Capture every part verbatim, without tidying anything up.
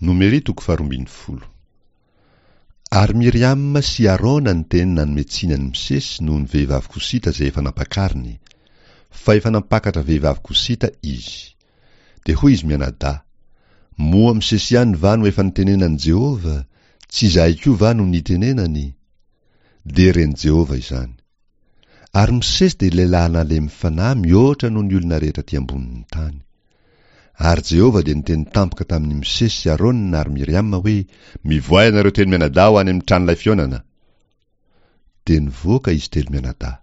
Nomery toko faharoa ambin'ny folo. Ary Miriama sy Arona niteny nanome tsiny an'i Mosesy noho ny vehivavy Kosita izay efa nampakariny, fa efa nampakatra vehivavy Kosita izy. Dia hoy izy mianadahy, Moa Mosesy ihany va no efa nitenenan'i Jehovah, tsy izahay koa va no nitenenany? Dia ren'i Jehovah izany. Ary Mosesy dia lehilahy nalemy fanahy mihoatra noho ny olona rehetra aty ambonin'ny tany. Ary Jehovah dia niteny tampoka tamin'i Mosesy sy Arona ary Miriama hoe, Mivoaha ianareo telo mianadahy ho any amin'ny tranolay fihaonana. Dia nivoaka izy telo mianadahy.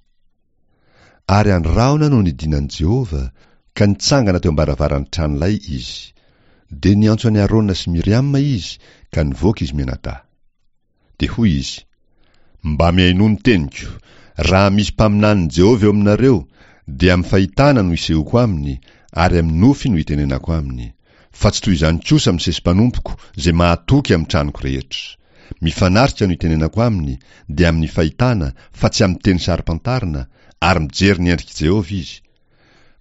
Ary andry rahona no nidinan'i Jehovah, ka nitsangana teo am-baravaran'ny tranolay izy. Dia niantso an'i Arona sy Miriama izy, ka nivoaka izy mianadahy. Dia hoy izy, Mba mihainoa ny teniko, Raha misy mpaminanin'i Jehovah eo aminareo, dia amin'ny fahitana no isehoako aminy, ary amin'ny nofy no itenenako aminy. Fa tsy toy izany kosa Mosesy mpanompoko, izay mahatoky amin'ny tranoko rehetra. Mifanatrika no itenenako aminy, dia amin'ny fahitana, fa tsy amin'ny teny saro-pantarina, ary mijery ny endrik'i Jehovah izy.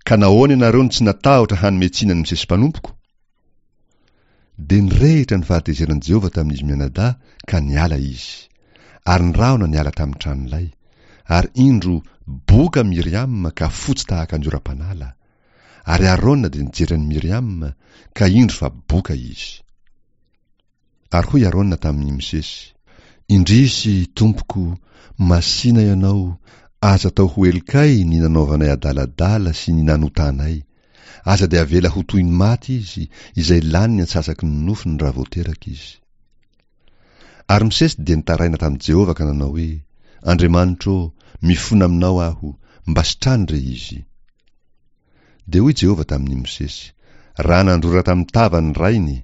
Ka nahoana ianareo no tsy natahotra hanome tsiny an'i Mosesy mpanompoko? Dia nirehitra ny fahatezeran'i Jehovah tamin'izy mianadahy, ka niala izy. Ary ny rahona niala tamin'ny tranolay. Ary indro, boka Miriama ka fotsy tahaka ny oram-panala. Ary Arona dia nijery an'i Miriama, ka indro fa boka izy. Ary hoy Arona tamin'i Mosesy, Indrisy, tompoko, masìna ianao, aza atao ho helokay ny nanaovanay adaladala sy ny nanotanay. Aza dia avela ho toy ny maty izy, izay lany ny antsasaky ny nofony raha vao teraka izy. Ary Mosesy dia nitaraina tamin'i Jehovah ka nanao hoe, Andriamanitro ô, mifona aminao aho, mba sitrano re izy. Dia hoy Jehovah tamin'i Mosesy, Raha nandrora tamin'ny tavany ny rainy,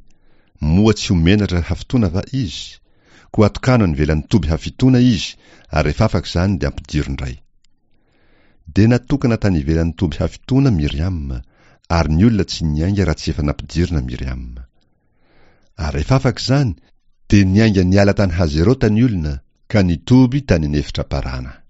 moa tsy ho menatra hafitoana va izy? Koa atokano any ivelan'ny toby hafitoana izy, ary rehefa afaka izany dia ampidiro indray. Dia natokana tany ivelan'ny toby hafitoana Miriama, ary ny olona tsy niainga raha tsy efa nampidirina Miriama. Ary rehefa afaka izany, dia niainga niala tany Hazerota ny olona, ka nitoby tany an'efitra Parana.